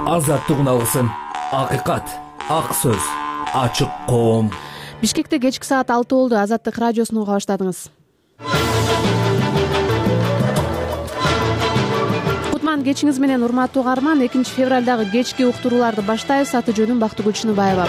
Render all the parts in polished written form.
азаттык уналгысын, акыйкат, ак сөз, ачык коом. Бишкекте кечки саат 6 болду. Азаттык радиосун уга баштадыңыз. Кутман кечиңиз менен, урматтуу угарман. 2 февралдагы кечки уктурууларды баштайбыз. Аты жөнүм Бактыгүл Чыныбаева.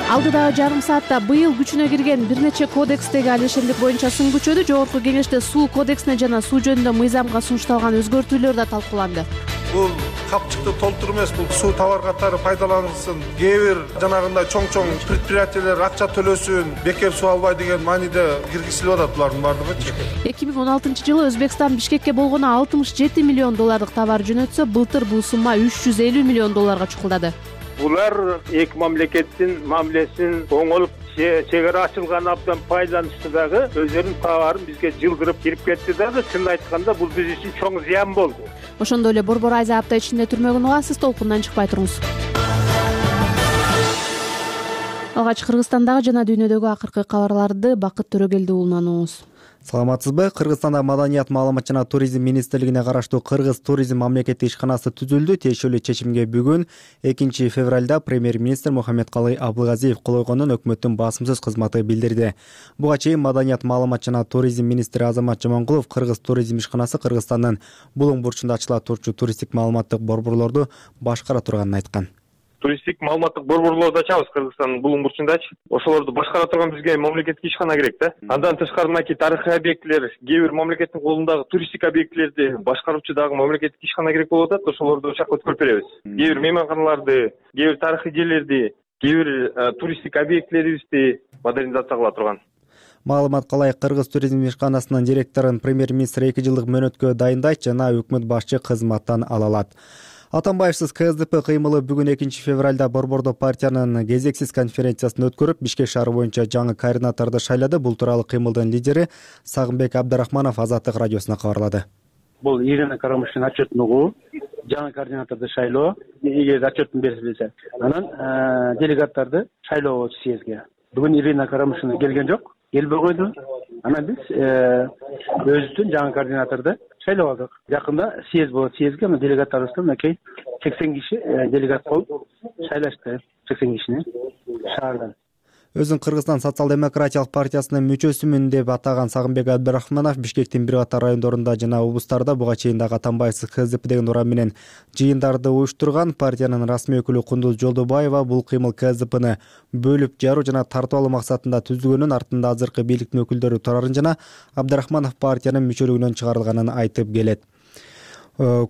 Алдыдагы жарым саатта быйыл күчүнө кирген бир нече кодекстеги алишерлик боюнча сын күчөдү. Жогорку кеңеште суу кодексине жана суу жөнүндө мыйзамга сунушталган өзгөртүүлөр да талкууланды. Бул капчыкты толтуруу эмес, бул суу товар катары пайдаланылсын. Кээ бир жанагындай чоң предприятиелер акча төлөсүн, бекер суу албай деген мааниде киргизилип атат булардын баардыгычы. 2016-жылы Өзбекстан Бишкекке болгону 67 миллион доллардык товар жөнөтсө, былтыр бул сумма 350 миллион долларга чукулдады. Булар эки мамлекеттин мамилесин оңолуп, чек ара ачылган абдан пайдаланышты дагы өздөрүнүн товарын бизге жылдырып кирип кетти дагы. Чынын айтканда бул биз үчүн чоң зыян болду. Ошондой эле борбор айза апта ичинде түрмөгүн угасыз, толкундан чыкпай туруңуз. Алгач Кыргызстандагы жана дүйнөдөгү акыркы кабарларды Бакыт Төрөгелди уулунан угуңуз. Саламатсызбы? Кыргызстанда Маданият, маалымат жана туризм министрлигине караштуу Кыргыз туризм мамлекеттик ишканасы түзүлдү. Тиешелүү чечимге бүгүн 2 февралда премьер-министр Мухаммедкалый Абылгазиев кол койгонун өкмөттүн басымсыз кызматы билдирди. Буга чейин Маданият, маалымат жана туризм министри Азамат Жамангулов Кыргыз туризм ишканасы Кыргызстандын Булуң бурчунда ачыла турчу туристтик маалыматтык борборлорду башкара турганын айткан. Туристтик маалыматтык борборлорду ачабыз Кыргызстандын Булуң бурчундачы. Ошолорду башкара турган бизге мамлекеттик ишкана керек да. Андан тышкары мынакей тарыхый объектилер, кээ бир мамлекеттин колундагы туристтик объектилерди башкаруучу дагы мамлекеттик ишкана керек болуп атат. Ошолорду ошол жака өткөрүп беребиз. Кээ бир мейманканаларды, кээ бир тарыхый жерлерди, кээ бир туристтик объектилерибизди модернизация кыла турган. Маалымат калай Кыргыз туризм ишканасынын директорун премьер-министр 2 жылдык мөөнөткө дайындайт жана өкмөт башчы кызматтан ала алат. Атамбаевсиз КСДП кыймылы бүгүн 2 февралда борбордо партиянын кезексиз конференциясын өткөрүп, Бишкек шаары боюнча жаңы координаторду шайлады. Бул тууралуу кыймылдын лидери Сагынбек Абдрахманов Азаттык радиосуна кабарлады. Бул Ирина Карамыштын отчетун угуу, жаңы координаторду шайлоо, эгер отчетун берилсе, анан делегаттарды шайлоо болчу съездге. Бүгүн Ирина Карамыштын келген жок, келбей койду. Анан биз өзүбүздүн жаңы координаторду шайлап алдык. Жакында съезд болот, съездге делегаттарыбызды мынакей 80 киши делегат болуп шайлашты. 80 кишини шаардан. Өзүн Кыргызстан социал-демократиялык партиясынын мүчөсүмүн деп атаган Сагынбек Абдрахманов Бишкектин бир катар райондорунда жана облустарда буга чейин дагы Атамбаевсиз КСДП деген урам менен жыйындарды уюштурган. Партиянын расмий өкүлү Кундуз Жолдобаева бул кыймыл КСДПны бөлүп жаруу жана тартып алуу максатында түзүлгөнүн, артында азыркы бийликтин өкүлдөрү турарын жана Абдрахманов партиянын мүчөлүгүнөн чыгарылганын айтып келет.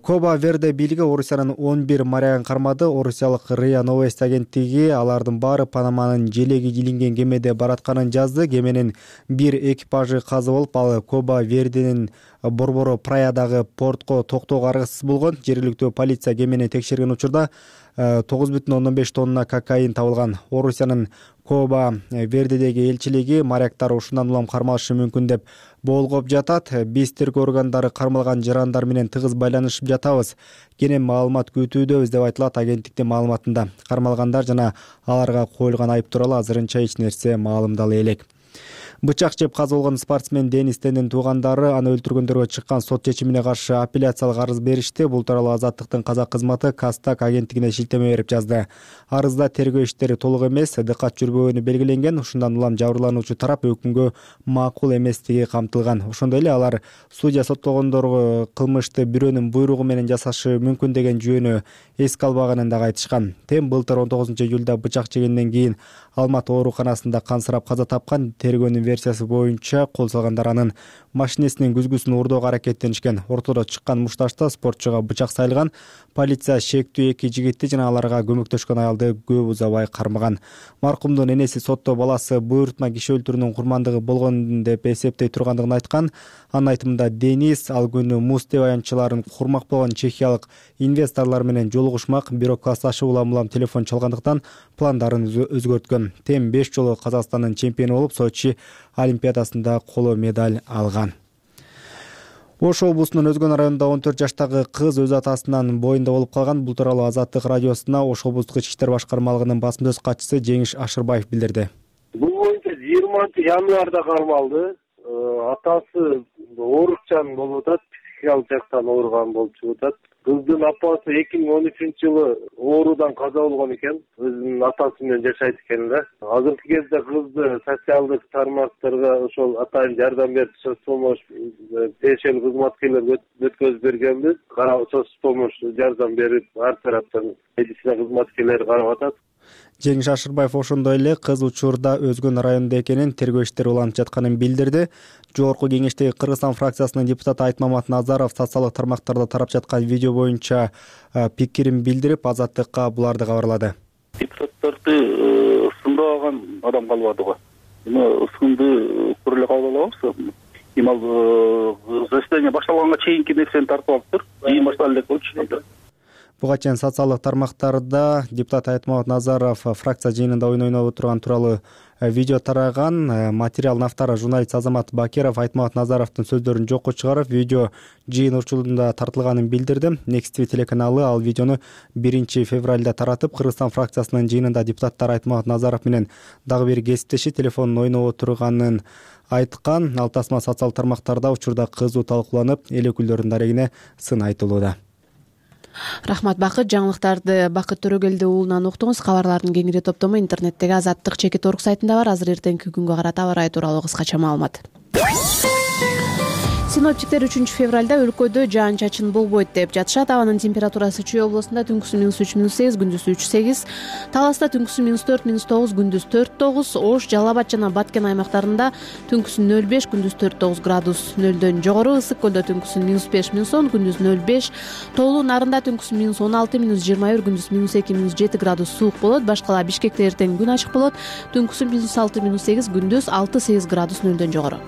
Коба Верде бийлиги Орусиянын 11 морягын кармады. Орусиялык РИА Новости агенттиги алардын баары Панаманын желеги илинген кемеде баратканын жазды. Кеменин бир экипажы каза болуп, ал Коба Верденин борбору Праядагы портко токтоого аргасыз болгон. Жергиликтүү полиция кемени текшерген учурда 9,5 тонна кокаин табылган. Орусиянын Коба Вердедеги элчилиги моряктар ушундан улам кармалышы мүмкүн деп болгоп жатат. Биз тергөө органдары кармалган жарандар менен тыгыз байланышып жатабыз. Кенен маалымат күтүүдөбүз деп айтылат агенттиктин маалыматында. Кармалгандар жана аларга коюлган айып тууралуу азырынча эч нерсе маалымдала элек. Бычак жеп каза болгон спортсмен Денис Тендин туугандары аны өлтүргөндөргө чыккан сот чечимине каршы апелляциялык арыз беришти. Бул тууралуу Азаттыктын казак кызматы Кастак агенттигине шилтеме берип жазды. Арызда тергөө иштери толук эмес, дыкат жүрбөгөнү белгиленген. Ушундан улам жабырлануучу тарап өкүмгө макул эместиги камтылган. Ошондой эле алар судья соттогондорго кылмышты бирөөнүн буйругу менен жасашы мүмкүн деген жүйөнү эске албаганын дагы айтышкан. Тем былтыр 19-июлда бычак жегенден кийин Алматы ооруканасында кансырап каза тапкан. Тергөөнүн версиясы боюнча кол салгандар анын машинесинин күзгүсүн урдоого аракеттенишкен. Ортодо чыккан мушташта спортчуга бычак сайылган. Полиция шектүү 2 жигитти жана аларга көмөктөшкөн аялды көп узабай кармаган. Маркумдун энеси сотто баласы буйрутма киши өлтүрүүнүн курмандыгы болгон деп эсептей тургандыгын айткан. Анын айтымында Денис ал күнү Муз деп аянтчыларын курмак болгон чехиялык инвесторлор менен жолугушмак, бирок классташы улам телефон чалгандыктан пландарын өзгөрткөн. Тем 5 жолу Казакстандын чемпиону болуп, Сочи олимпиадасында коло медаль алган. Ош облусунун Өзгөн районунда 14 жаштагы кыз өз атасынын боюнда болуп калган. Бул тууралуу Азаттык радиосуна Ош облустук ички иштер башкармалыгынын басма сөз катчысы Жеңиш Ашырбаев билдирди. Бул боюнча 20 январда кармалды. Атасы оорукчан болуп атат, психикалык жактан ооруган болуп чыгып атат. Кыздын апасы 2013-жылы оорудан каза болгон экен. Өзүнүн атасы менен жашайт экен да. Азыркы кезде кызды социалдык тармактарга ошол атайын жардам берип соц помощь тиешелүү кызматкерлер өткөзүп бергенбиз. Соц помощь жардам берип, ар тараптан медицина кызматкерлери карап атат. Жеңиш Ашырбаев ошондой эле кыз учурда өзгөн районунда экенин, тергөө иштери уланып жатканын билдирди. Жогорку Кеңештеги Кыргызстан фракциясынын депутаты Айтмамат Назаров социалдык тармактарда тарап жаткан видео боюнча пикирин билдирип, Азаттыкка буларды кабарлады. Депутаттарды сындаган адам калбады го. Сынды көрүлө кабыл алабыз. Эми заседание башталганга чейинки нерсени тартып алыптыр. Жыйын башталып элек болчу. Буга чейин социалдык тармактарда депутат Айтмамат Назаров фракция жыйынында ойноп отурган тууралуу видео тараган. Материалдын автору журналист Азамат Бакиров Айтмамат Назаровдун сөздөрүн жокко чыгарып, видео жыйын учурунда тартылганын билдирди. Next TV телеканалы ал видеону 1 февралда таратып, Кыргызстан фракциясынын жыйынында депутаттар Айтмамат Назаров менен дагы бир кесиптеши телефонун ойноп отурганын айткан. Ал тасма социалдык тармактарда учурда кызуу талкууланып, эл өкүлдөрүнүн дарегине сын айтылууда. Рахмат Бакыт. Жаңылыктарды Бакыт Төрөгелди уулунан уктуңуз. Кабарлардын кеңири топтому интернеттеги Азаттык.org сайтында бар. Азыр эртеңки күнгө карата аба ырайы тууралуу кыскача маалымат. Синоптиктер 3 февралда өлкөдө жаан-чачын болбойт деп жатышат. Абанын температурасы Чүй облусунда түнкүсү -3-3, күндүзү 3-8, Таласта түнкүсү -4-9, күндүз 4-9, Ош, Жалал Абад жана Баткен аймактарында түнкүсү 0-5, күндүз 4-9 градус нөлдөн жогору, Ысык көлдө түнкүсү -5-10, күндүз 0-5, Тоолуу Нарында түнкүсү -16, -21, күндүз -2, -7 градус суук болот. Башкала Бишкекте эртең күн ачык болот, түнкүсү -6, -8, күндүз 6-8 градус нөлдөн жогору.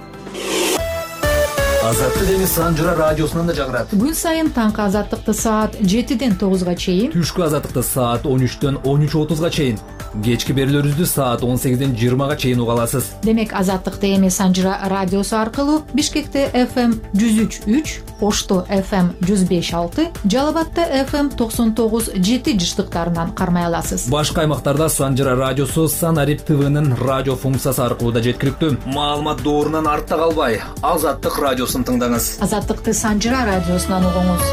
Азаттык эми Санжыра радиосунан да жагырат. Күн сайын таңкы Азаттыкты саат 7-ден 9-га чейин, Түшкү Азаттыкты саат 13-төн 13:30-га чейин, кечки берүүлөрүбүздү саат 18-ден 20-га чейин уга аласыз. Демек Азаттыкты эми Санжыра радиосу аркылуу Бишкекте FM 103.3, Ошто FM 105.6, Жалал Абадта FM 99.7 жыштыктарынан кармай аласыз. Башка аймактарда Санжыра радиосу Санарип ТВнын радио функциясы аркылуу да жеткиликтүү. Маалымат доорунан артта калбай, Азаттык радиосун тыңдаңыз. Азаттыкты Санжыра радиосунан угуңуз.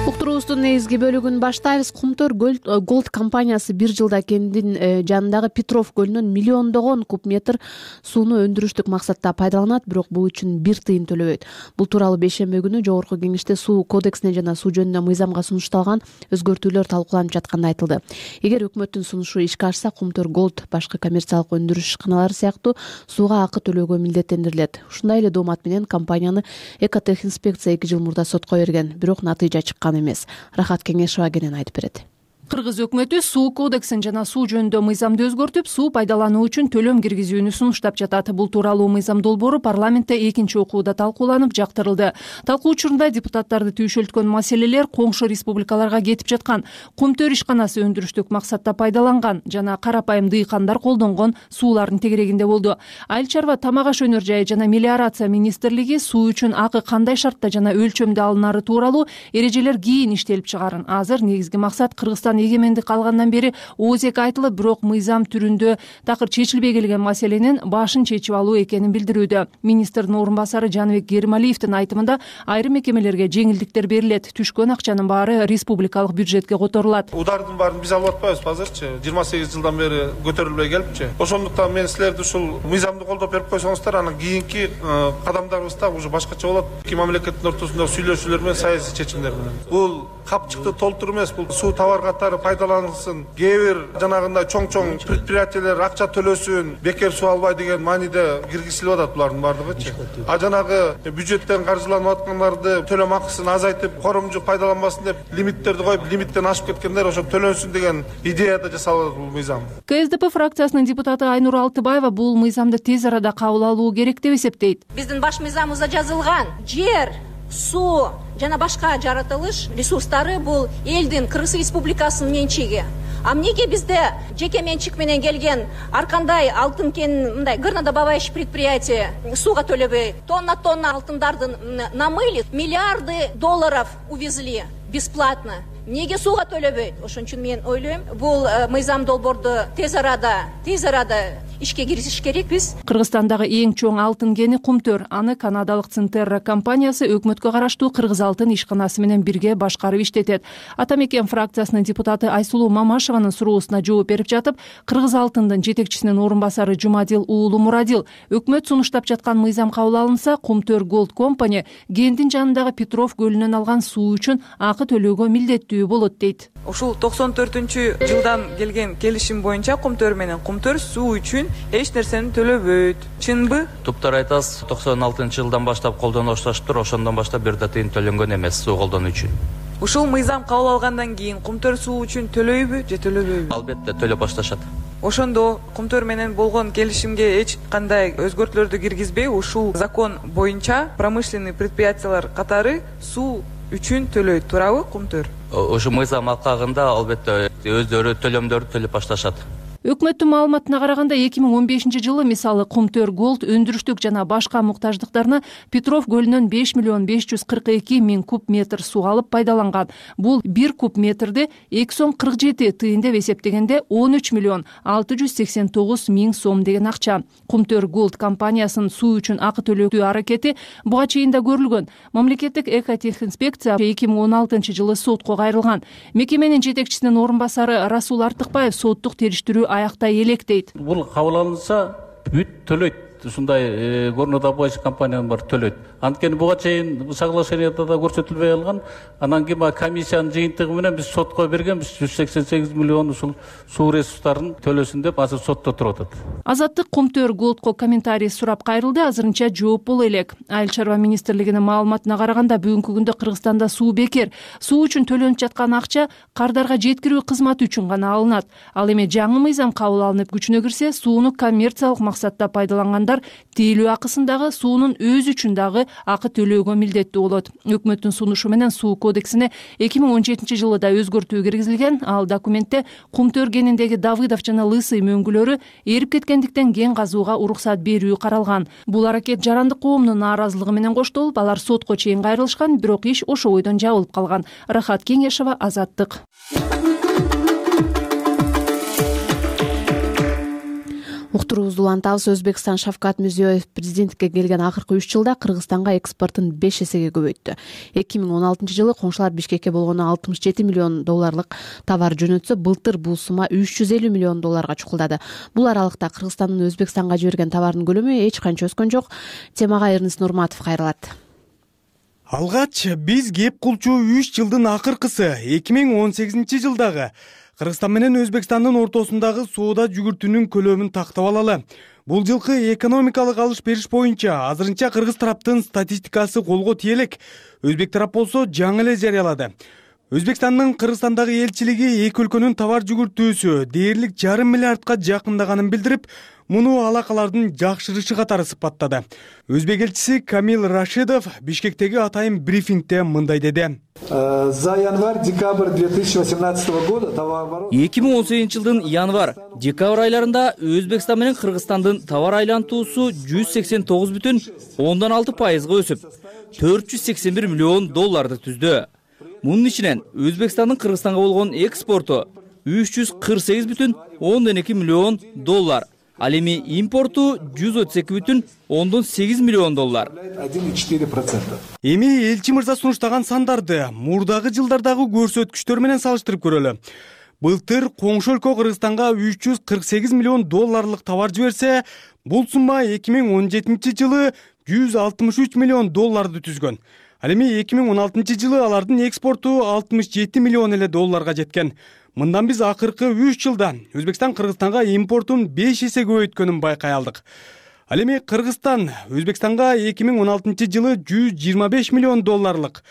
Уктуруубуздун негизги бөлүгүн баштайбыз. Кумтөр Голд компаниясы 1 жылда кендин жанындагы Петров көлүнөн миллиондогон куб метр сууну өндүрүштүк максатта пайдаланат, бирок бул үчүн 1 тыйын төлөбөйт. Бул тууралуу бейшемби күнү Жогорку Кеңеште суу кодексине жана суу жөнүндө мыйзамга сунушталган өзгөртүүлөр талкууланып жатканда айтылды. Эгер өкмөттүн сунушу ишке ашса, Кумтөр Голд башка коммерциялык өндүрүш ишканалары сыяктуу сууга акы төлөөгө милдеттендирилет. Ушундай эле доомат менен компанияны Экотех инспекция 2 жыл мурда сотко берген, бирок натыйжа чыккан эмес. Рахат Кеңешова кенен айтып берет. Кыргыз өкмөтү суу кодексин жана суу жөнүндө мыйзамды өзгөртүп, суу пайдалануу үчүн төлөм киргизүүнү сунуштап жатат. Бул тууралуу мыйзам долбоору парламентте 2 окууда талкууланып, жактырылды. Талкуу учурунда депутаттарды түйшөлткөн маселелер коңшу республикаларга кетип жаткан, Кумтөр ишканасы өндүрүштүк максатта пайдаланган жана карапайым дыйкандар колдонгон суулардын тегерегинде болду. Айыл чарба, тамак аш өнөр жайы жана мелиорация министрлиги суу үчүн акы кандай шартта жана өлчөмдө алынары тууралуу эрежелер кийин иштелип чыгарын. Азыр негизги максат Кыргызстан эгемендик алгандан бери оозек айтылып, бирок мыйзам түрүндө такыр чечилбей келген маселенин башын чечип алуу экенин билдирүүдө. Министрдин орун басары Жаныбек Гермалиевдин айтымында айрым мекемелерге жеңилдиктер берилет, түшкөн акчанын баары республикалык бюджетке которулат. Удардын баарын биз алып атпайбыз азырчы, 28 жылдан бери көтөрүлбөй келипчи. Ошондуктан мен силерди ушул мыйзамды колдоп берип койсоңуздар, анан кийинки кадамдарыбыз да уже башкача болот. Эки мамлекеттин ортосунда сүйлөшүүлөр менен, саясий чечимдер менен. Бул капчыкты толтур эмес, бул суу табар катары пайдаланылсын, кээ бир жанагындай чоң предприятиелер акча төлөсүн, бекер суу албай деген мааниде киргизилип атат булардын баардыгычы. А жанагы бюджеттен каржыланып аткандарды төлөм акысын азайтып, коромжу пайдаланбасын деп лимиттерди коюп, лимиттен ашып кеткендер ошо төлөнсүн деген идеяда жасалат бул мыйзам. КСДП фракциясынын депутаты Айнур Алтыбаева бул мыйзамды тез арада кабыл алуу керек деп эсептейт. Биздин баш мыйзамыбызда жазылган жер, суу жана башка жаратылыш ресурстары бул элдин, Кыргыз Республикасынын менчиги. А эмнеге бизде жеке менчик менен келген ар кандай алтын кен мындай горнодобывающий предприятие сууга төлөбөй тонна алтындарды намыли, миллиарды долларов увезли бесплатно. Неге сууга төлөбөйт? Ошон үчүн мен ойлойм, бул мыйзам долбоорду тез арада ишке киргизиш керекпиз. Кыргызстандагы эң чоң алтын кени Кумтөр. Аны канадалык Цинтерра компаниясы өкмөткө караштуу Кыргыз алтын ишканасы менен бирге башкарып иштетет. Ата мекен фракциясынын депутаты Айсулуу Мамашеванын суроосуна жооп берип жатып, Кыргыз алтындын жетекчисинин орун басары Жумадил уулу Мурадил өкмөт сунуштап жаткан мыйзам кабыл алынса, Кумтөр Gold Company кенттин жанындагы Петров көлүнөн алган суу үчүн акы төлөөгө милдеттүү болот дейт. Ушул 94-жылдан келген келишим боюнча Кумтөр менен Кумтөр суу үчүн эч нерсени төлөбөйт. Чынбы? Туптар айтасыз, 96-жылдан баштап колдонуп башташтыр, ошондон баштап бир да тыйын төлөнгөн эмес суу колдонуу үчүн. Ушул мыйзам кабыл алгандан кийин Кумтөр суу үчүн төлөйбү же төлөбөйбү? Албетте төлөп башташат. Ошондо Кумтөр менен болгон келишимге эч кандай өзгөртүүлөрдү киргизбей, ушул закон боюнча промышленный предприятиялар катары суу үчүн төлөйт, туурабы Кумтөр? Ошол мыйзам алкагында албетте өздөрү төлөмдөрдү төлөп башташат. Өкмөттүн маалыматына караганда 2015-жылы мисалы Кумтөр Gold өндүрүштүк жана башка муктаждыктарына Петров көлүнөн 5,542,000 куб метр суу алып пайдаланган. Бул 1 куб метрди 2,47 тыйын деп эсептегенде 13,689,000 сом деген акча. Кумтөр Gold компаниясынын суу үчүн акы төлөтүү аракети буга чейин да көрүлгөн. Мамлекеттик экотехинспекция 2016-жылы сотко кайрылган. Мекеменин жетекчисинин орун басары Расул Артыкбаев соттук териштирүү аяктай электейт. Бул кабыл алынса бүт төлөйт. Ушундай горно добывающий компаниянын бар төлөйт. Анткени буга чейин соглашенияда да көрсөтүлбөй алган. Анан кийин комиссиянын жыйынтыгы менен биз сотко бергенбиз 188 миллион ушул суу ресурстарын төлөсүн деп азыр сотто туруп атат. Азаттык Кумтөр Goldко комментарий сурап кайрылды, азырынча жооп боло элек. Айыл чарба министрлигинин маалыматына караганда бүгүнкү күндө Кыргызстанда суу бекер. Суу үчүн төлөнүп жаткан акча кардарга жеткирүү кызматы үчүн гана алынат. Ал эми жаңы мыйзам кабыл алынып күчүнө кирсе, сууну коммерциялык максатта пайдалангандар тейлөө акысындагы суунун өзү үчүн дагы акы төлөөгө милдеттүү болот. Өкмөттүн сунушу менен суу кодексине 2017-жылы да өзгөртүү киргизилген. Ал документте Кумтөр кениндеги Давыдов жана Лысый мөңгүлөрү эрип кеткендиктен кен казууга уруксат берүү каралган. Бул аракет жарандык коомдун нааразылыгы менен коштолуп, алар сотко чейин кайрылышкан, бирок иш ошо бойдон жабылып калган. Рахат Кеңешова, Азаттык. Уктуруубузду улантабыз. Өзбекстан Шавкат Мирзиёев президенттикке келген акыркы 3 жылда Кыргызстанга экспортун 5 эсеге көбөйттү. 2016-жылы коңшулар Бишкекке болгону 67 миллион долларлык товар жөнөтсө, былтыр бул сумма 350 миллион долларга чукулдады. Бул аралыкта Кыргызстандын Өзбекстанга жиберген товардын көлөмү эч канча өскөн жок. Темага Эрнис Нурматов кайрылат. Алгач биз кеп кылчу 3 жылдын акыркысы 2018-жылдагы Кыргызстан менен Өзбекстандын ортосундагы соода жүгүртүүнүн көлөмүн тактап алалы. Бул жылкы экономикалык алыш-бериш боюнча азырынча кыргыз тараптын статистикасы колго тие элек. Өзбек тарап болсо жаңы эле жарыялады. Өзбекстандын Кыргызстандагы элчилиги эки өлкөнүн товар жүгүртүүсү дээрлик 5,5 миллиардка жакындаганын билдирип, муну алакалардын жакшырышы катары сыпаттады. Өзбек элчиси Камил Рашидов Бишкектеги атайын брифингде мындай деди. За январь-декабрь 2018 года товарооборот 2018-жылдын январь-декабрь айларында Өзбекстан менен Кыргызстандын товар айлантуусу 189,6% өсүп, 481 миллион долларды түздү. Мунун ичинен Өзбекстандын Кыргызстанга болгон экспорту 348,2 миллион доллар. Ал эми импорту 132,8 миллион доллар. 1,4%. Эми элчи мырза сунуштаган сандарды мурдагы жылдардагы көрсөткүчтөр менен салыштырып көрөлү. Былтыр коңшу өлкө Кыргызстанга 348 миллион долларлык товар жиберсе, бул сумма 2017-жылы 163 миллион долларды түзгөн. Ал эми 2016-жылы алардын экспорту 67 миллион эле долларга жеткен. Мындан биз акыркы 3 жылда Өзбекстан Кыргызстанга импортун 5 эсе көбөйткөнүн байкай алдык. Ал эми Кыргызстан Өзбекстанга 2016-жылы 125 миллион долларлык,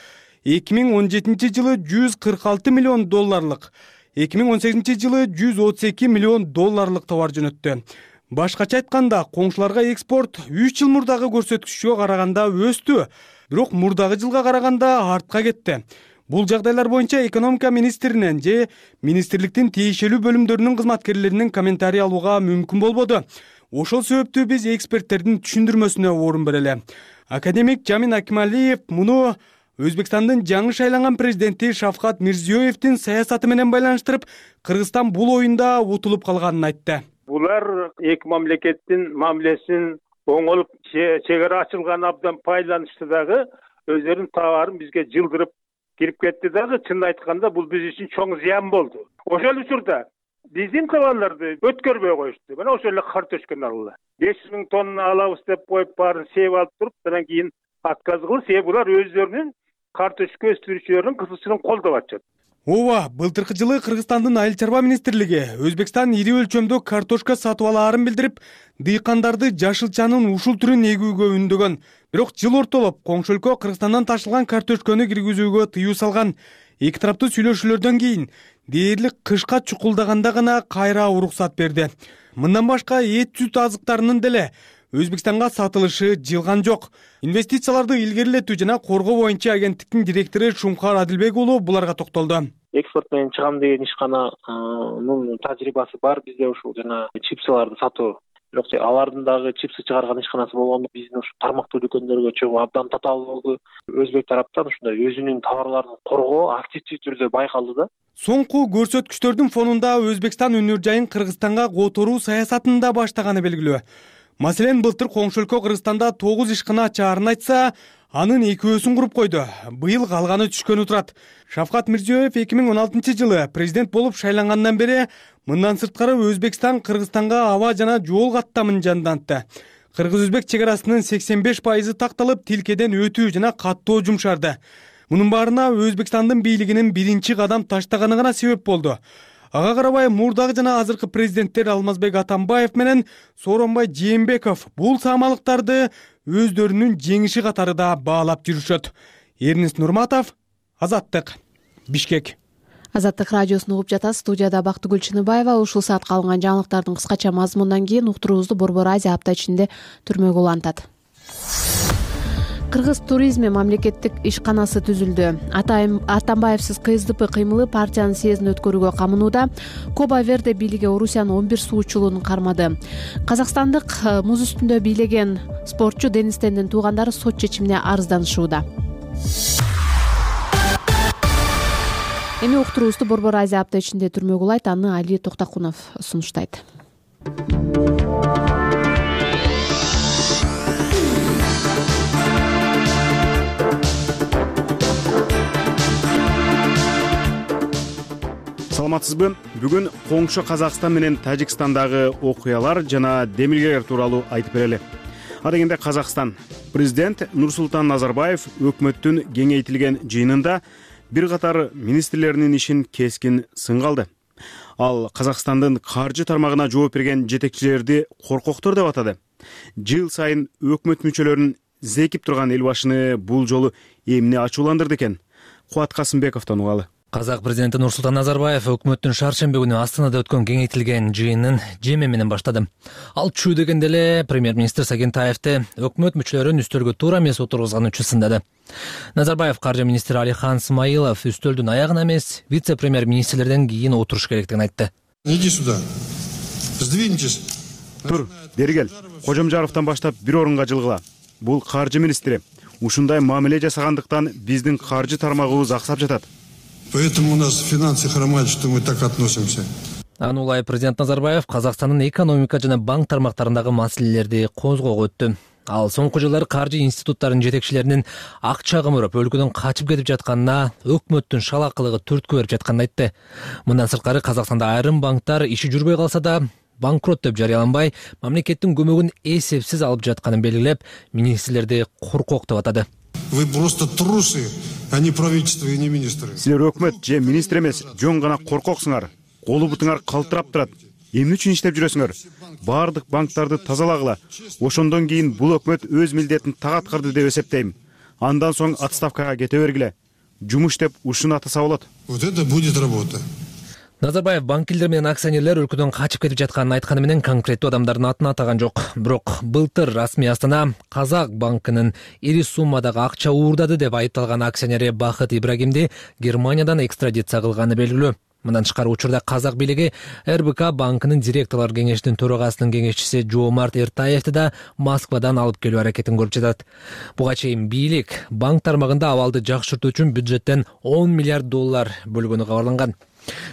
2017-жылы 146 миллион долларлык, 2018-жылы 132 миллион долларлык товар жөнөттү. Башкача айтканда, коңшуларга экспорт 3 жыл мурдагы көрсөткүчкө караганда өстү, бирок мурдагы жылга караганда артка кетти. Бул жагдайлар боюнча экономика министринен же министрликтин тиешелүү бөлүмдөрүнүн кызматкерлеринин комментарий алууга мүмкүн болбоду. Ошол себептүү биз эксперттердин түшүндүрмөсүнө орун берели. Академик Жамин Акималиев муну Өзбекстандын жаңы шайланган президенти Шавкат Мирзиёевдин саясаты менен байланыштырып, Кыргызстан бул оюнда утулуп калганын айтты. Булар эки мамлекеттин мамилесин оңолуп, чек ара ачылган абдан пайдаланышты дагы өздөрүнүн товарын бизге жылдырып кирип кетти дагы. Чынын айтканда бул биз үчүн чоң зыян болду. Ошол учурда биздин товарларды өткөрбөй коюшту. Мына ошол эле картошканы алгыла. 500 000 тонна алабыз деп коюп баарын сээп алып туруп, андан кийин отказ кылып, себеби булар өздөрүнүн картошка өстүрүүчүлөрүнүн кызыкчылыгын колдоп атышат. Ооба, былтыркы жылы Кыргызстандын айыл чарба министрлиги Өзбекстан ири өлчөмдө картошка сатып алаарын билдирип, дыйкандарды жашылчанын ушул түрүн эгүүгө үндөгөн. Бирок жыл ортолоп коңшу өлкө Кыргызстандан ташылган картошканы киргизүүгө тыюу салган. Эки тараптуу сүйлөшүүлөрдөн кийин дээрлик кышка чукулдаганда гана кайра уруксат берди. Мындан башка эт сүт азыктарынын деле Өзбекстанга сатылышы жылган жок. Инвестицияларды илгерилетүү жана коргоо боюнча агенттиктин директору Шумкар Адилбек уулу буларга токтолду. Экспорт менен чыгам деген ишкананын тажрыйбасы бар бизде ушул жана чипсыларды сатуу. Бирок алардын дагы чипсы чыгарган ишканасы болгондо биздин ушу тармактуу дүкөндөргө чогуу абдан татаал болду. Өзбек тараптан ушундай өзүнүн товарларын коргоо активдүү түрдө байкалды да. Соңку көрсөткүчтөрдүн фонунда Өзбекстан өнөр жайын Кыргызстанга которуу саясатын да баштаганы белгилүү. Маселен, былтыр коңшу өлкө Кыргызстанда 9 ишкана ачаарын айтса, анын 2-өсүн куруп койду. Быйыл калганы түшкөнү турат. Шавкат Мирзиёев 2016 жылы президент болуп шайлангандан бери мындан сырткары Өзбекстан Кыргызстанга аба жана жол каттамын жандантты. Кыргыз-өзбек чек арасынын 85% такталып, тилкеден өтүү жана каттоо жумшарды. Мунун баарына Өзбекстандын бийлигинин биринчи кадам таштаганы гана себеп болду. Ага карабай мурдагы жана азыркы президенттер Алмазбек Атамбаев менен Сооронбай Жээнбеков бул самалыктарды өздөрүнүн жеңиши катары да баалап жүрүшөт. Эрнест Нурматов, Азаттык, Бишкек. Азаттык радиосун угуп жатасыз. Студияда Бактыгүл Чыныбаева. Ушул саатка алынган жаңылыктардын кыскача мазмунунан кийин уктуруубузду Борбор Азия апта ичинде түрмөгө улантат. Кыргыз туризми мамлекеттик ишканасы түзүлдү. Атамбаевсиз КСДП кыймылы партиянын съездин өткөрүүгө камынууда. Коба Верде бийлиги Орусиянын 11 суучулуун кармады. Казакстандык муз үстүндө бийлеген спортчу Денис Тендин туугандары сот чечимине арызданышууда. Эми уктуруубузду Борбор Азия апта ичинде түрмөгө улайт. Аны Али Токтакунов сунуштайт. Саламатсызбы? Бүгүн коңшу Казакстан менен Тажикстандагы окуялар жана демилгелер тууралуу айтып берели. Адегенде Казакстан президент Нурсултан Назарбаев өкмөттүн кеңейтилген жыйынында бир катар министрлеринин ишин кескин сынга алды. Ал Казакстандын каржы тармагына жооп берген жетекчилерди коркоктор деп атады. Жыл сайын өкмөт мүчөлөрүн зекип турган эл башыны бул жолу эмне ачууландырды экен? Кубат Касымбековдон угалы. Казак президенти Нурсултан Назарбаев өкмөттүн шаршемби күнү Астанада өткөн кеңейтилген жыйынын жеме менен баштады. Ал чүү дегенде эле премьер-министр Сагентаевди өкмөт мүчөлөрүн үстөлгө туура эмес отургузган үчүн сындады. Назарбаев каржы министри Алихан Смаилов үстөлдүн аягына эмес, вице-премьер-министрлерден кийин отуруш керектигин айтты. Иди сюда. Сдвиньтесь. Тур, бери кел. Кожомжаровдон баштап бир орунга жылгыла. Бул каржы министри. Ушундай мамиле жасагандыктан биздин каржы тармагыбыз аксап жатат. Поэтому у нас финансы хромают, что мы так относимся. Аны улай президент Назарбаев Казакстандын экономика жана банк тармактарындагы маселелерди козгоого өттү. Ал соңку жылдары каржы институттарынын жетекчилеринин акча кымырып, өлкөдөн качып кетип жатканына, өкмөттүн шалакылыгы түрткү берип жатканын айтты. Мындан сырткары Казакстанда айрым банктар иши жүрбөй калса да, банкрот деп жарыяланбай, мамлекеттин көмөгүн эсепсиз алып жатканын белгилеп, министрлерди коркок деп атады. Вы просто трусы, а не правительство и не министры. Силер өкмөт же министр эмес, жөн гана коркоксуңар. Колу бутуңар калтырап турат. Эмне үчүн иштеп жүрөсүңөр? Бардык банктарды тазалагыла. Ошондон кийин бул өкмөт өз милдетин так аткарды деп эсептейм. Андан соң отставкага кете бергиле. Жумуш деп ушуну атаса болот. Вот это будет работа. Назарбаев банкирлер менен акционерлер өлкөдөн качып кетип жатканын айтканы менен конкреттүү адамдардын атын атаган жок. Бирок былтыр расмий Астана Казак банкынын ири суммадагы акча уурдады деп айыпталган акционери Бахыт Ибрагимди Германиядан экстрадиция кылганы белгилүү. Мындан тышкары учурда казак бийлиги РБК банкынын директорлор кеңешинин төрагасынын кеңешчиси Жоомарт Эртаевди да Москвадан алып келүү аракетин көрүп жатат. Буга чейин бийлик банк тармагында абалды жакшыртуу үчүн бюджеттен 10 миллиард доллар бөлгөнү кабарланган.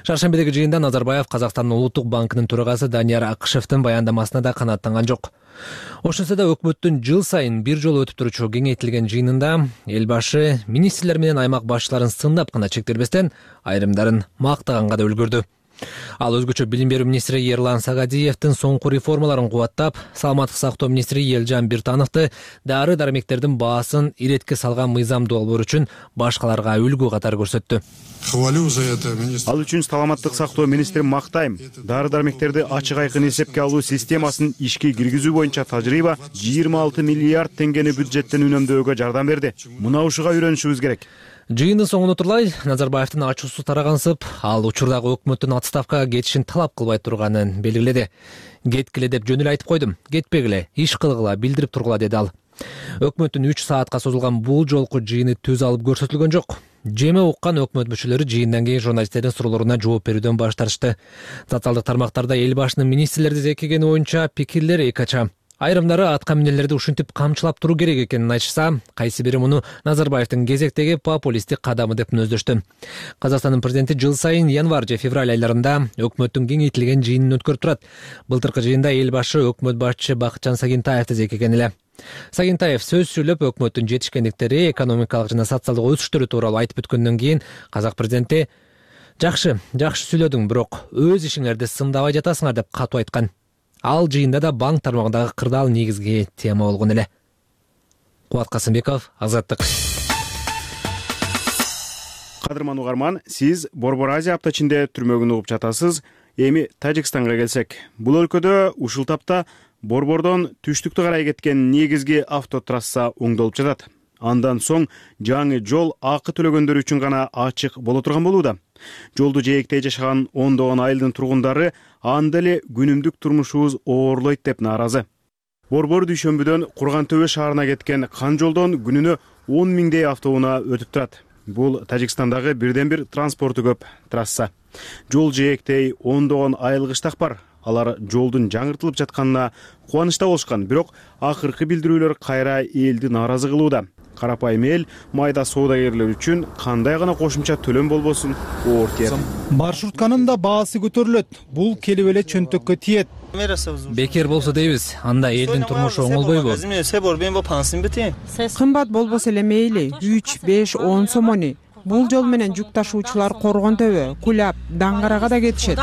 Шаршембидеги жыйында Назарбаев Казакстандын улуттук банкынын төрагасы Данияр Акышевдин баяндамасына да канааттанган жок. Ошентсе да өкмөттүн жыл сайын бир жолу өтүп турчу кеңейтилген жыйынында эл башы министрлер менен аймак башчыларын сындап гана чектелбестен айрымдарын мактаганга да үлгүрдү. Ал өзгөчө билим берүү министри Ерлан Сагадиевдин соңку реформаларын кубаттап, саламаттык сактоо министри Элжан Биртановду дары-дармектердин баасын иретке салган мыйзам долбоор үчүн башкаларга үлгү катары көрсөттү. Ал үчүн саламаттык сактоо министри мактайм. Дары-дармектерди ачык айкын эсепке алуу системасын ишке киргизүү боюнча тажрыйба 26 миллиард теңгени бюджеттен үнөмдөөгө жардам берди. Мына ушуга үйрөнүшүбүз керек. Жыйындын соңуна турлай Назарбаевдин ачуусу тарагансып, ал учурдагы өкмөттүн отставкага кетишин талап кылбай турганын белгиледи. Кеткиле деп жөн эле айтып койдум, кетпегиле, иш кылгыла, билдирип тургула деди ал. Өкмөттүн 3 саатка созулган бул жолку жыйыны түз алып көрсөтүлгөн жок. Жеме уккан өкмөт мүчөлөрү жыйындан кийин журналисттердин суроолоруна жооп берүүдөн баш тартышты. Социалдык тармактарда эл башынын министрлерди зекигени боюнча пикирлер экача. Айрымдары атка минерлерди ушинтип камчылап туруу керек экенин айтышса, кайсы бири муну Назарбаевдин кезектеги популисттик кадамы деп мүнөздөштү. Казакстандын президенти жыл сайын январь же февраль айларында өкмөттүн кеңейтилген жыйынын өткөрүп турат. Былтыркы жыйында эл башы өкмөт башчысы Бакытжан Сагентаевди зекиген эле. Сагентаев сөз сүйлөп өкмөттүн жетишкендиктери, экономикалык жана социалдык өсүштөрү тууралуу айтып өткөндөн кийин казак президенти жакшы сүйлөдүң, бирок өз ишиңерди сындабай жатасыңар деп катуу айткан. Ал жыйында да банк тармагындагы кырдаал негизги тема болгон эле. Кубат Касымбеков, Азаттык. Кадырман угарман, сиз Борбор Азия апта ичинде түрмөгүн угуп жатасыз. Эми Тажикстанга келсек, бул өлкөдө ушул тапта Борбордон түштүктү карай кеткен негизги автотрасса оңдолуп жатат. Андан соң жаңы жол акы төлөгөндөр үчүн гана ачык боло турган болууда. Жолду жээктей жашаган ондогон айылдын тургундары анда эле күнүмдүк турмушубуз оорлойт деп нааразы. Борбор дүйшөмбүдөн Курган-Төбө шаарына кеткен кан жолдон күнүнө 10 миңдей автоунаа өтүп турат. Бул Тажикстандагы бирден бир транспорту көп трасса. Жол жээктей ондогон айыл кыштак бар. Алар жолдун жаңыртылып жатканына кубанычта болушкан, бирок акыркы билдирүүлөр кайра элди нааразы кылууда. Карапайым эл майда соодагерлер үчүн кандай гана кошумча төлөм болбосун оор тиет. Маршрутканын да баасы көтөрүлөт. Бул келип эле чөнтөккө тиет. Бекер болсо дейбиз, анда элдин турмушу оңолбойбу? Кымбат болбосо эле мейли, 3, 5, 10 сомони. Бул жол менен жүк ташуучулар Коргон-Төбө, Кулап, Даңгарага да кетишет.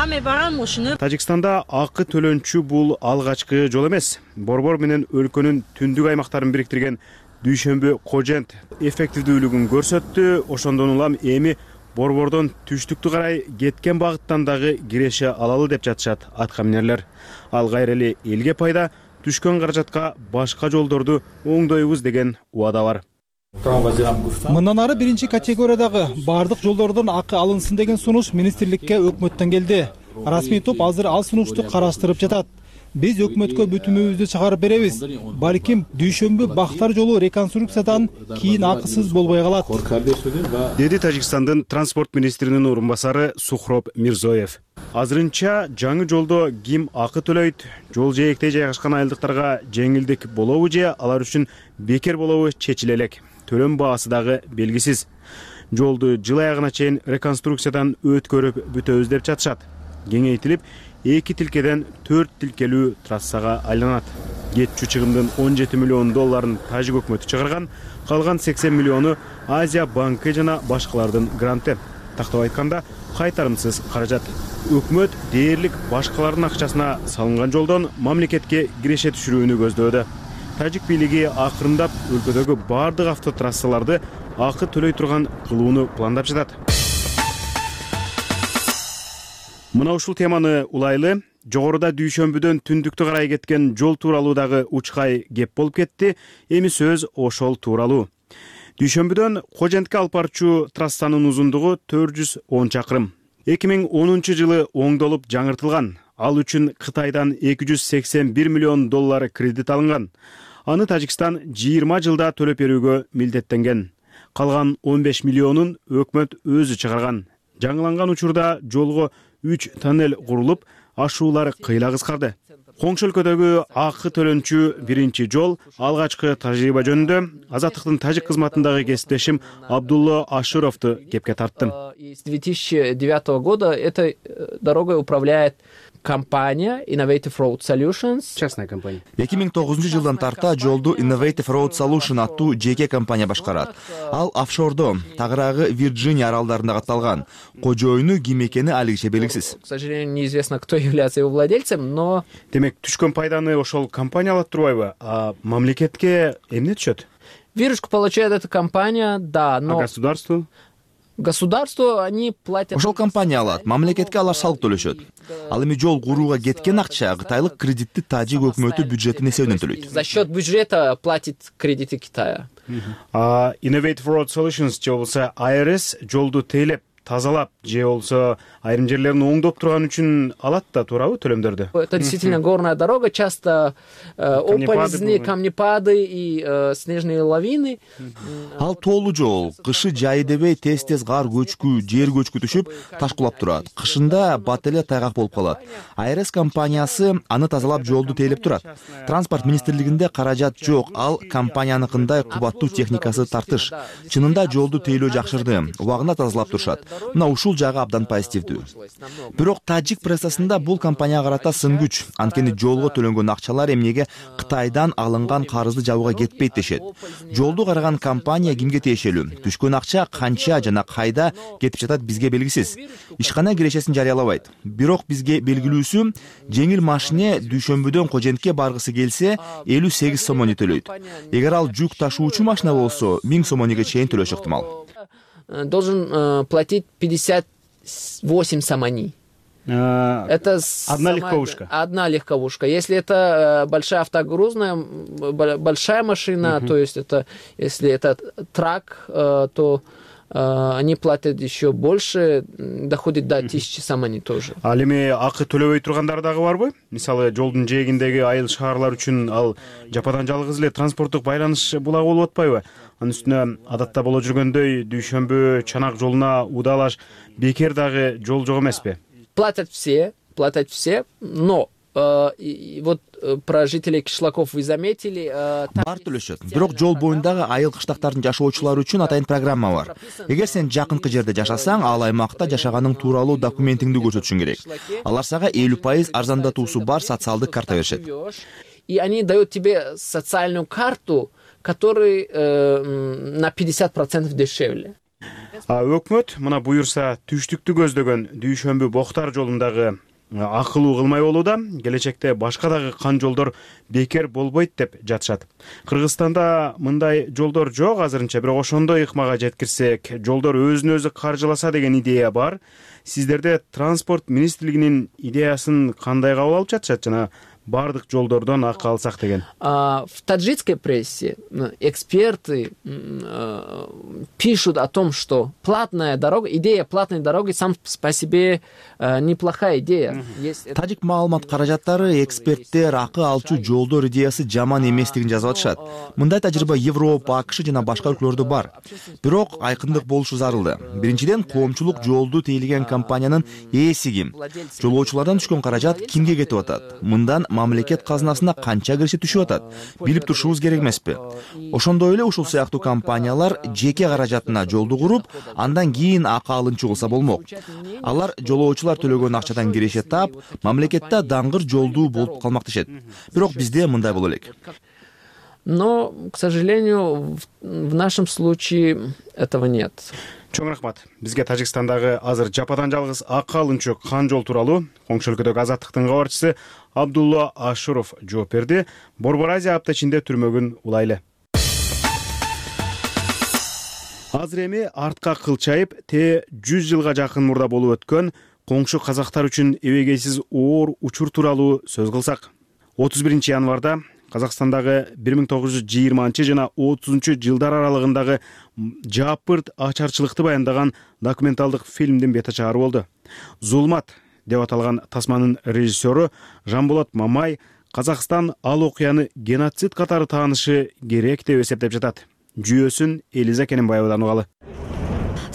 Тажикстанда акы төлөнчү бул алгачкы жол эмес. Борбор менен өлкөнүн түндүк аймактарын бириктирген Дүйшөмбү Кожент эффективдүүлүгүн көрсөттү. Ошондон улам эми Борбордон түштүктү карай кеткен багыттан дагы киреше алалы деп жатышат атка минерлер. Ал кайра эле элге пайда, түшкөн каражатка башка жолдорду оңдойбуз деген убада бар. Мындан ары биринчи категориядагы бардык жолдордон акы алынсын деген сунуш министрликке өкмөттөн келди. Расмий топ азыр ал сунушту караштырып жатат. Биз өкмөткө бүтүмүбүздү чыгарып беребиз. Балким Дүйшөмбү Бактар жолу реконструкциядан кийин акысыз болбой калат, деди Тажикстандын транспорт министринин орун басары Сухроб Мирзоев. Азырынча жаңы жолдо ким акы төлөйт, жол жээктей жайгашкан айылдыктарга жеңилдик болобу же алар үчүн бекер болобу чечиле элек. Төлөм баасы дагы белгисиз. Жолду жыл аягына чейин реконструкциядан өткөрүп бүтөбүз деп жатышат. Кеңейтилип 2 тилкеден 4 тилкелүү трассага айланат. Кетчү чыгымдын 17 миллион долларын тажик өкмөтү чыгарган, калган 80 миллиону Азия банкы жана башкалардын гранты. Тактап айтканда, кайтарымсыз каражат. Өкмөт дээрлик башкалардын акчасына салынган жолдон мамлекетке киреше түшүрүүнү көздөөдө. Тажик бийлиги акырындап өлкөдөгү бардык автотрассаларды акы төлөй турган кылууну пландап жатат. Мына ушул теманы улайлы, жогоруда Дүйшөмбүдөн түндүктү карай кеткен жол тууралуу дагы учкай кеп болуп кетти. Эми сөз ошол тууралуу. Дүйшөмбүдөн Кожентке алып барчу трассанын узундугу 410 чакырым. 2010 жылы оңдолуп жаңыртылган. Ал үчүн Кытайдан 281 миллион доллар кредит алынган. Аны Тажикстан 20 жылда төлөп берүүгө милдеттенген. Калган 15 миллионун өкмөт өзү чыгарган. жаңыланган учурда жолго 3 тоннель курулуп, ашуулар кыйла кыскарды. Коңшу өлкөдөгү акы төлөнчү биринчи жол алгачкы тажрыйба жөнүндө Азаттыктын тажик кызматындагы кесиптешим Абдулла Ашуровду кепке тарттым. С 2009 года этой дорогой управляет компания Innovative Road Solutions. Частная компания. 2009 жылдан тарта жолду Innovative Road Solution аттуу жеке компания башкарат. Ал офшордо, тагыраагы Вирджиния аралдарында катталган. Кожоюну ким экени алигиче белгисиз. К сожалению, неизвестно, кто является его владельцем, но... Демек, түшкөн пайданы ошол компания алат турбайбы? А мамлекетке эмне түшөт? Выручку получает эта компания, да, но... А государству? Государству они платят... Ошол компания алат, мамлекетке алар салык төлөшөт. Ал эми жол курууга кеткен акча кытайлык кредитти тажик өкмөтү бюджеттин эсебинен төлөйт. За счет бюджета платит кредиты Китая. Innovative Road Solutions же болбосо IRS жолду тейлеп, тазалап же болбосо айрым жерлерин оңдоп турган үчүн алат да, туурабы төлөмдөрдү? Это действительно горная дорога, часто оползни, камнепады и снежные лавины. Ал тоолуу жол, кышы жайы дебей тез-тез кар көчкү, жер көчкү түшүп, ташкулап турат. Кышында бат эле тайгак болуп калат. АРС компаниясы аны тазалап жолду тейлеп турат. Транспорт министрлигинде каражат жок, ал компанияныкындай кубаттуу техникасы тартыш. Чынында жолду тейлөө жакшырды, убагында тазалап турушат. Мына ушул жагы абдан позитивдүү. Бирок тажик прессасында бул компанияга карата сын күч, анткени жолго төлөнгөн акчалар эмнеге Кытайдан алынган карызды жабууга кетпейт дешет. Жолду караган компания кимге тиешелүү? Түшкөн акча канча жана кайда кетип жатат бизге белгисиз. Ишкана кирешесин жарыялабайт. Бирок бизге белгилүүсү, жеңил машине дүйшөмбүдөн Кожентке баргысы келсе 58 сомони төлөйт. Эгер ал жүк ташуучу машина болсо 1000 сомониге чейин төлөшү ыктымал. Должен платить 58 сомони. Это одна легковушка. Одна легковушка. Если это большая автогрузная, большая машина, то есть это, если это трак, то они платят еще больше, доходит до 1000 сомони тоже. Ал эми акы төлөбөй тургандар дагы барбы? Мисалы, жолдун жээгиндеги айыл шаарлар үчүн ал жападан жалгыз эле транспорттук байланыш булагы болуп атпайбы? Анын үстүнө адатта боло жүргөндөй дүйшөмбү чанак жолуна удалаш бекер дагы жол жок эмеспи? Платят все, но вот про жителей кишлаков вы заметили. Бар төлөшөт. Бирок жол боюндагы айыл кыштактардын жашоочулары үчүн атайын программа бар. Эгер сен жакынкы жерде жашасаң, ал аймакта жашаганың тууралуу документиңди көрсөтүшүң керек. Алар сага 50% арзандатуусу бар социалдык карта беришет. И они дают тебе социальную карту, который на 50% дешевле. Өкмөт мына буюрса түштүктү көздөгөн Дүйшөмбү Боктар жолундагы акылуу кылмай болууда, келечекте башка дагы кан жолдор бекер болбойт деп жатышат. Кыргызстанда мындай жолдор жок азырынча, бирок ошондой ыкмага жеткирсек, жолдор өзүн өзү каржыласа деген идея бар. Сиздерде транспорт министрлигинин идеясын кандай кабыл алып жатышат жана бардык жолдордон акы алсак деген? В таджикской прессе эксперты пишут о том, что платная дорога, идея платной дороги сам по себе неплохая идея. Тажик маалымат каражаттары эксперттер акы алчу жолдор идеясы жаман эместигин жазып атышат. Мындай тажрыйба Европа, АКШ жана башка өлкөлөрдө бар. Бирок айкындык болушу зарылды. Биринчиден, коомчулук жолду тейлеген компаниянын ээси ким? Жолоочулардан түшкөн каражат кимге кетип атат? Мындан мамлекет казынасына канча киреше түшүп атат? Билип турушубуз керек эмеспи? Ошондой эле ушул сыяктуу компаниялар жеке каражатына жолду куруп, андан кийин акы алынчу кылса болмок. Алар жолоочулар төлөгөн акчадан киреше таап, мамлекетте даңгыр жолдуу болуп калмак дешет. Бирок бизде мындай боло элек. Но, к сожалению, в нашем случае этого нет. Чоң рахмат. Бизге Тажикстандагы азыр жападан жалгыз акы алынчу кан жол тууралуу Коңшу өлкөдөгү Азаттыктын кабарчысы Абдулла Ашуров жооп берди. Борбор Азия апта ичинде түрмөгүн улайлы. Азыр эми артка кылчайып, 100 жылга жакын мурда болуп өткөн коңшу казактар үчүн эбегейсиз оор учур тууралуу сөз кылсак. 31 январда Казакстандагы 1920 жана 30 жылдар аралыгындагы жапырт ачарчылыкты баяндаган документалдык фильмдин бет ачары болду. Зулмат деп аталган тасманын режиссеру Жанболот Мамай Казакстан ал окуяны геноцид катары таанышы керек деп эсептеп жатат. Жүйөсүн Элиза Кененбаевадан угалы.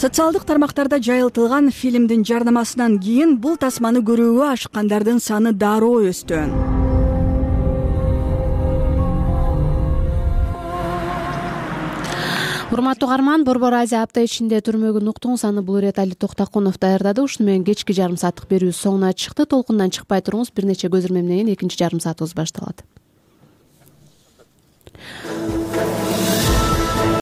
Социалдык тармактарда жайылтылган фильмдин жарнамасынан кийин бул тасманы көрүүгө ашыккандардын саны дароо өстү. Урматтуу угарман, Борбор Азия апта ичинде түрмөгүн уктуңуз. Аны бул ирет Али Токтакунов даярдады. Ушуну менен кечки жарым сааттык берүүбүз соңуна чыкты. Толкундан чыкпай туруңуз. Бир нече көзүрмөмдөн кийин экинчи жарым саатыбыз башталат.